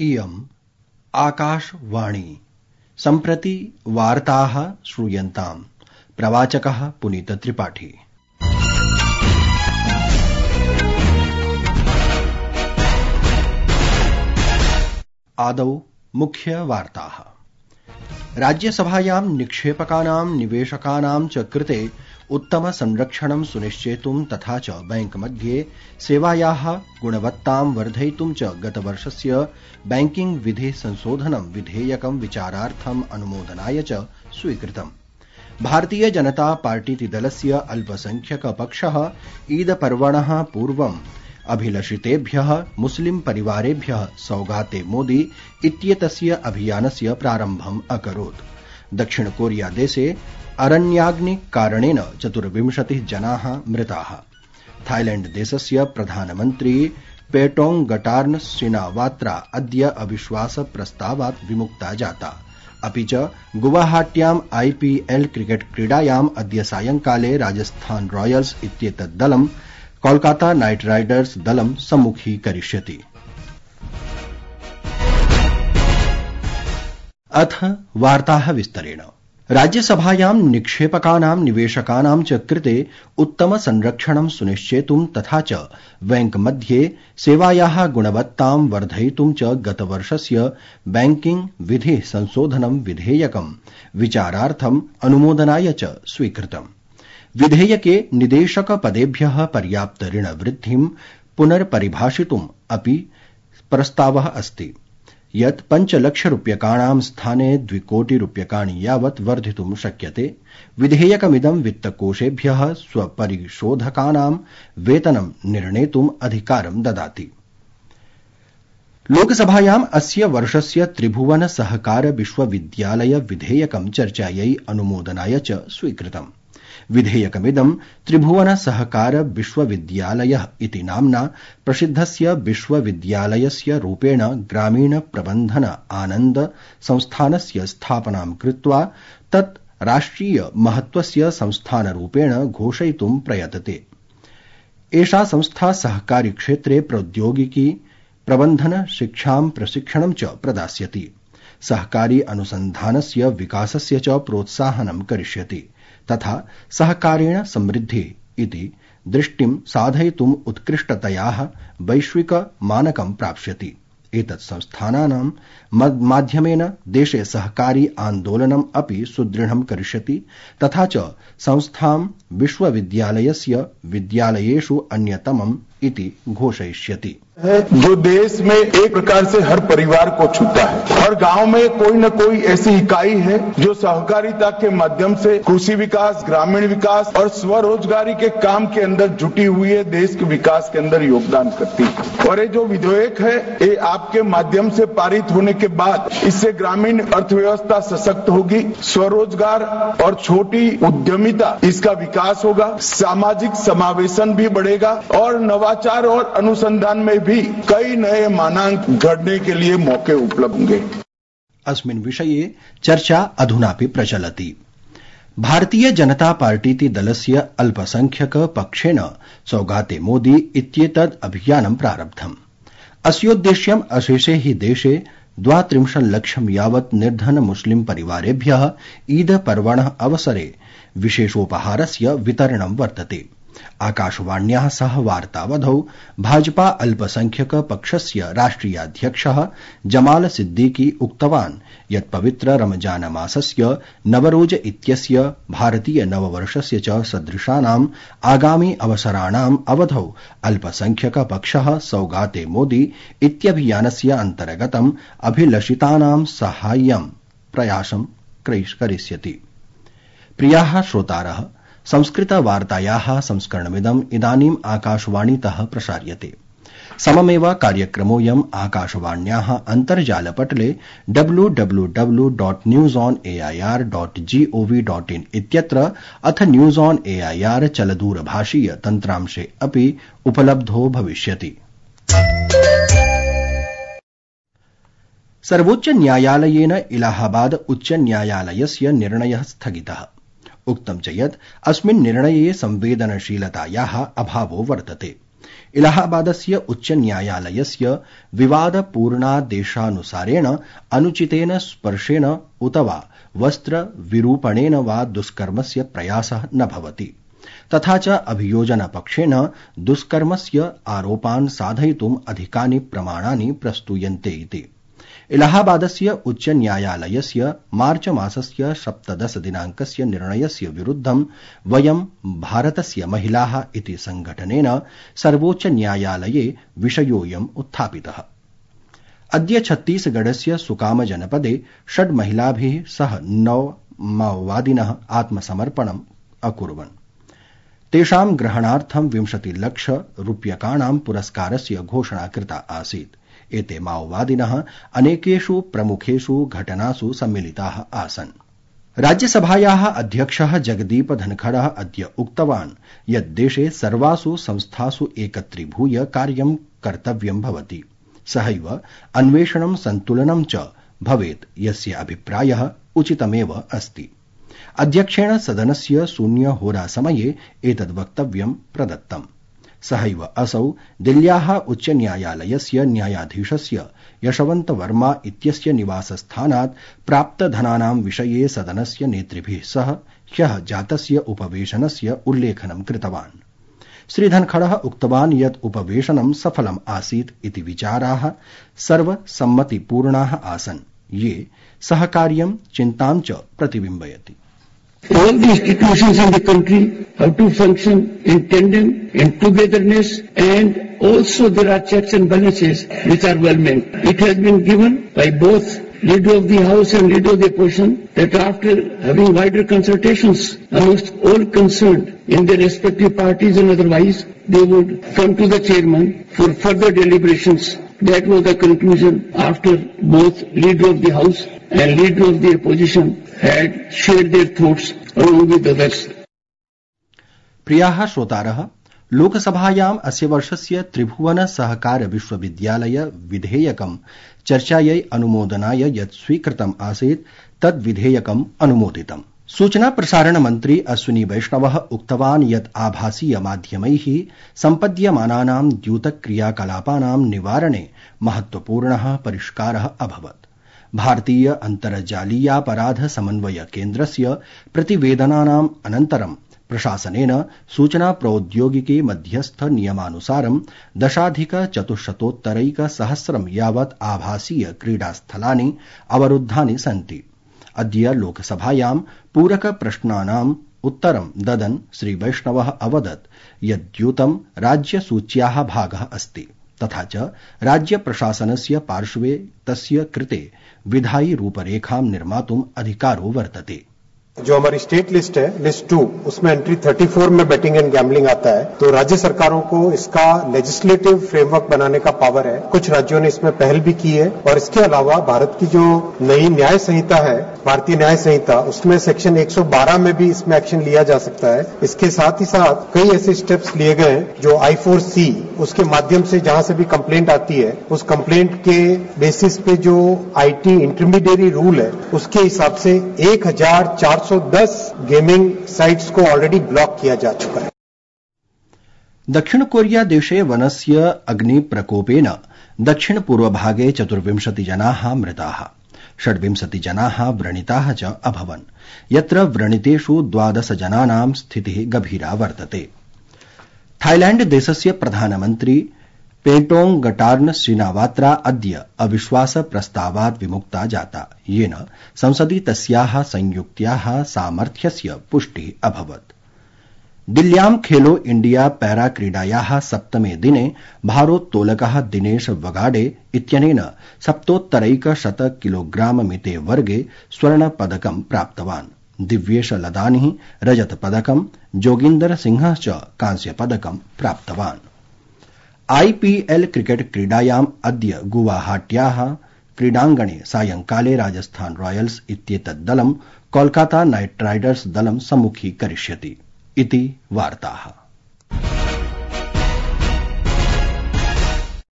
इयम् आकाशवाणी सम्प्रति वार्ताः श्रूयन्ताम्। प्रवाचकः पुनीत त्रिपाठी। आदौ मुख्य वार्ताः। राज्यसभायां निक्षेपकानां निवेशकानां च कृते उत्तम संरक्षणं सुनिश्चेतुं तथा च बैंक मध्ये सेवायाः गुणवत्तां वर्धयितुं च गतवर्षस्य बैंकिंग विधि संशोधनं विधेयकं विचारार्थम् अनुमोदनाय च स्वीकृतम्। भारतीय जनता पार्टीति दलस्य अल्पसंख्यक पक्षः ईद पर्वणः पूर्वम् अभिलषितेभ्यः मुस्लिम परिवारेभ्यः सौगाते मोदी इत्येतस्य अभियानस्य प्रारम्भम् अकरोत्। दक्षिण कोरिया देशे अरण्याग्नि कारणेन 24 जनाः मृताः। थाईलैंड देशस्य प्रधानमन्त्री पेटोंगटार्न सिनावात्रा अद्य अविश्वास प्रस्तावात् विमुक्ता जाता। अपि च गुवाहाट्याम् IPL क्रिकेट क्रीडायाम् अद्य सायंकाले राजस्थान रॉयल्स इत्येतत् दलं कोलकाता नाइट राइडर्स दलं सम्मुखीकरिष्यति। अथ वार्ताः विस्तरेण। राज्यसभायां निक्षेपकानां निवेशकानां च कृते उत्तम संरक्षणं सुनिश्चेतुं तथा च बैंक मध्ये सेवायाः गुणवत्तां वर्धयितुं च गतवर्षस्य बैंकिंग विधि संशोधनं विधेयकं विचारार्थम् अनुमोदनाय च स्वीकृतम्। विधेयके निदेशक पदेभ्यः पर्याप्त ऋण वृद्धिं पुनर्परिभाषितुम् अपि प्रस्तावः अस्ति यत् 5 लाख रूप्यकाणां स्थाने 2 कोटि रूप्यकाणि यावत् वर्धितुं शक्यते। विधेयकमिदं वित्तकोषेभ्यः स्वपरिशोधकानां वेतनं निर्णेतुम् अधिकारं ददाति। लोकसभायाम् अस्य वर्षस्य त्रिभुवन सहकार विश्वविद्यालय विधेयकं चर्चायै अनुमोदनाय च स्वीकृतम्। विधेयकमिदं त्रिभुवन सहकार विश्वविद्यालयः इति नाम्ना प्रसिद्धस्य विश्वविद्यालयस्य रूपेण ग्रामीण प्रबन्धन आनन्द संस्थानस्य स्थापनां कृत्वा तत् राष्ट्रिय महत्वस्य संस्थानरूपेण घोषयितुं प्रयतते। एषा संस्था सहकारी क्षेत्रे प्रौद्योगिकी प्रबन्धन शिक्षां प्रशिक्षणं च प्रदास्यति। सहकारी अनुसन्धानस्य विकासस्य च प्रोत्साहनं करिष्यति तथा सहकारेण समृद्धिः इति दृष्टिं साधयितुम् उत्कृष्टतयाः वैश्विक मानकं प्राप्स्यति। एतत् संस्थानानां माध्यमेन देशे सहकारी आन्दोलनम् अपि सुदृढं करिष्यति तथा च संस्थां विश्वविद्यालयस्य विद्यालयेषु अन्यतमम् इति घोषयिष्यति। जो देश में एक प्रकार से हर परिवार को छूता है। हर गांव में कोई न कोई ऐसी इकाई है जो सहकारिता के माध्यम से कृषि विकास, ग्रामीण विकास और स्वरोजगारी के काम के अंदर जुटी हुई है, देश के विकास के अंदर योगदान करती है। और ये जो विधेयक है ये आपके माध्यम से पारित होने के बाद इससे ग्रामीण अर्थव्यवस्था सशक्त होगी, स्वरोजगार और छोटी उद्यमिता इसका विकास होगा, सामाजिक समावेशन भी बढ़ेगा और नवाचार और अनुसंधान में भी कई नए मानांक घड़ने के लिए मौके उपलब्ध होंगे। अस्मिन् विषये चर्चा अधुनापि प्रचलति। भारतीय जनता पार्टीति दलस्य अल्पसंख्यक पक्षेन सौगाते मोदी इत्येतद् अभियानं प्रारब्धम्। अस्योद्देश्यम् अशेषे हि देशे 32 लक्षं यावत् निर्धन मुस्लिम परिवारेभ्यः ईद पर्वणः अवसरे विशेषोपहारस्य वितरणं वर्तते। आकाशवाण्याः सह वार्तावधौ भाजपा अल्पसंख्यक पक्षस्य राष्ट्रियाध्यक्षः जमाल सिद्दीकी उक्तवान् यत् पवित्र रमजान मासस्य नवरोज इत्यस्य भारतीय नववर्षस्य च सदृशानाम् आगामि अवसराणाम् अवधौ अल्पसंख्यक पक्षः सौगाते मोदी इत्यभियानस्य अन्तर्गतम् अभिलषितानां साहाय्यं प्रयासं करिष्यति। प्रियाः श्रोतारः, संस्कृत वार्तायाः संस्करणमिदम् इदानीम् आकाशवाणीतः प्रसार्यते। सममेव कार्यक्रमोऽयम् आकाशवाण्याः अन्तर्जालपटले www.newsonair.gov.in इत्यत्र अथ न्यूज ऑन एआईआर चलदूरभाषीय तन्त्रांशे अपि उपलब्धो भविष्यति। सर्वोच्च न्यायालयेन इलाहाबाद उच्च न्यायालयस्य निर्णयः स्थगितः। उक्तं च यत् अस्मिन् निर्णये संवेदनशीलतायाः अभावो वर्तते। इलाहाबादस्य उच्च न्यायालयस्य विवादपूर्णादेशानुसारेण अनुचितेन स्पर्शेन उत वा वस्त्र विरूपणेन वा दुष्कर्मस्य प्रयासः न भवति। तथा च अभियोजनपक्षेण दुष्कर्मस्य आरोपान् साधयितुम् अधिकानि प्रमाणानि प्रस्तूयन्ते इति। इलाहाबादस्य उच्च न्यायालयस्य मार्च मासस्य 17 दिनाङ्कस्य निर्णयस्य विरुद्धं वयं भारतस्य महिलाः इति संघटनेन सर्वोच्च न्यायालये विषयोऽयम् उत्थापितः। अद्य छत्तीसगढस्य सुकाम जनपदे 6 महिलाभिः सह 9 माओवादिनः आत्मसमर्पणम् अकुर्वन्। तेषां ग्रहणार्थं 20 लाख रूप्यकाणां पुरस्कारस्य घोषणा कृता आसीत्। एते माओवादिनः अनेकेषु प्रमुखेषु घटनासु सम्मिलिताः आसन्। राज्यसभायाः अध्यक्षः जगदीप धनखडः अद्य उक्तवान् यत् देशे सर्वासु संस्थासु एकत्रीभूय कार्यं कर्तव्यं भवति। सहैव अन्वेषणं सन्तुलनं च भवेत्, यस्य अभिप्रायः उचितमेव अस्ति। अध्यक्षेण सदनस्य शून्यहोरासमये एतद् वक्तव्यं प्रदत्तम्। सहैव असौ दिल्ल्याः उच्च न्यायालयस्य न्यायाधीशस्य यशवन्त वर्मा इत्यस्य निवासस्थानात् प्राप्तधनानां विषये सदनस्य नेतृभिः सह ह्यः जातस्य उपवेशनस्य उल्लेखनं कृतवान्। श्रीधनखडः उक्तवान् यत् उपवेशनं सफलम् आसीत् इति विचाराः सर्वसम्मतिपूर्णाः आसन्, ये सहकार्यं चिन्तां च प्रतिबिम्बयति। All the institutions in the country have to function in tandem, in togetherness, and also there are checks and balances which are well meant. It has been given by both Leader of the House and Leader of the Opposition that after having wider consultations amongst all concerned in their respective parties and otherwise, they would come to the chairman for further deliberations. That was the conclusion after both Leader of the House and Leader of the Opposition had shared their thoughts along with others. प्रियाः श्रोतारः, लोकसभायाम् अस्य वर्षस्य त्रिभुवन सहकार विश्वविद्यालय विधेयकं चर्चायै अनुमोदनाय यत् स्वीकृतम् आसीत् तद् विधेयकम् अनुमोदितम्। सूचना प्रसारण मन्त्री अश्विनी वैष्णवः उक्तवान् यत् आभासीय माध्यमैः सम्पद्यमानानां द्यूतक्रियाकलापानां निवारणे महत्वपूर्णः परिष्कारः अभवत्। भारतीय अन्तर्जालीयापराध समन्वय केन्द्रस्य प्रतिवेदनानाम् अनन्तरं प्रशासनेन सूचना प्रौद्योगिकी मध्यस्थ नियमानुसारं 10,400 यावत् आभासीय क्रीडास्थलानि अवरुद्धानि सन्ति। अद्य लोकसभायां पूरक प्रश्नानाम् उत्तरं ददन् श्री वैष्णवः अवदत् यत् द्यूतं राज्यसूच्याः भागः अस्ति, तथा च राज्य प्रशासनस्य पार्श्वे तस्य कृते विधायी रूपरेखां निर्मातुम् अधिकारो वर्तते। जो हमारी स्टेट लिस्ट है, लिस्ट 2, उसमें एंट्री 34 में बेटिंग एंड गैम्बलिंग आता है। तो राज्य सरकारों को इसका लेजिस्लेटिव फ्रेमवर्क बनाने का पावर है। कुछ राज्यों ने इसमें पहल भी की है और इसके अलावा भारत की जो नई न्याय संहिता है, भारतीय न्याय संहिता, उसमें सेक्शन 112 में भी इसमें एक्शन लिया जा सकता है। इसके साथ ही साथ कई ऐसे स्टेप्स लिए गए हैं जो I4C, उसके माध्यम से जहां से भी कंप्लेंट आती है, उस कंप्लेंट के बेसिस पे जो IT इंटरमीडिएरी रूल है, उसके हिसाब से 1410 गेमिंग साइट्स को ऑलरेडी ब्लॉक किया जा चुका है। दक्षिण कोरिया देशे वनस्य अग्निप्रकोपेन दक्षिण पूर्वभागे 24 जनाः मृताः, 26 जनाः व्रणिताः च अभवन्, यत्र व्रणितेषु 12 जनानां स्थितिः गभीरा वर्तते। थाईलैंड देशस्य प्रधानमन्त्री पेटोंगटार्न श्रीनावात्रा अद्य अविश्वास प्रस्तावात् विमुक्ता जाता, येन संसदि तस्याः संयुक्त्याः सामर्थ्यस्य पुष्टिः अभवत्। दिल्ल्यां खेलो इंडिया पैरा क्रीडायाः 7मे दिने भारोत्तोलकः दिनेश वगाडे इत्यनेन 70 किलोग्राम मिते वर्गे स्वर्णपदकं प्राप्तवान्। दिव्येश लदानिः रजतपदकं, जोगिन्दर सिंहः च कांस्यपदकं प्राप्तवान्। IPL क्रिकेट क्रीडायाम् अद्य गुवाहाट्याः क्रीडाङ्गणे सायंकाले राजस्थान रॉयल्स इत्येतत् दलं कोलकाता नाइट राइडर्स दलं सम्मुखीकरिष्यति इति वार्ताः।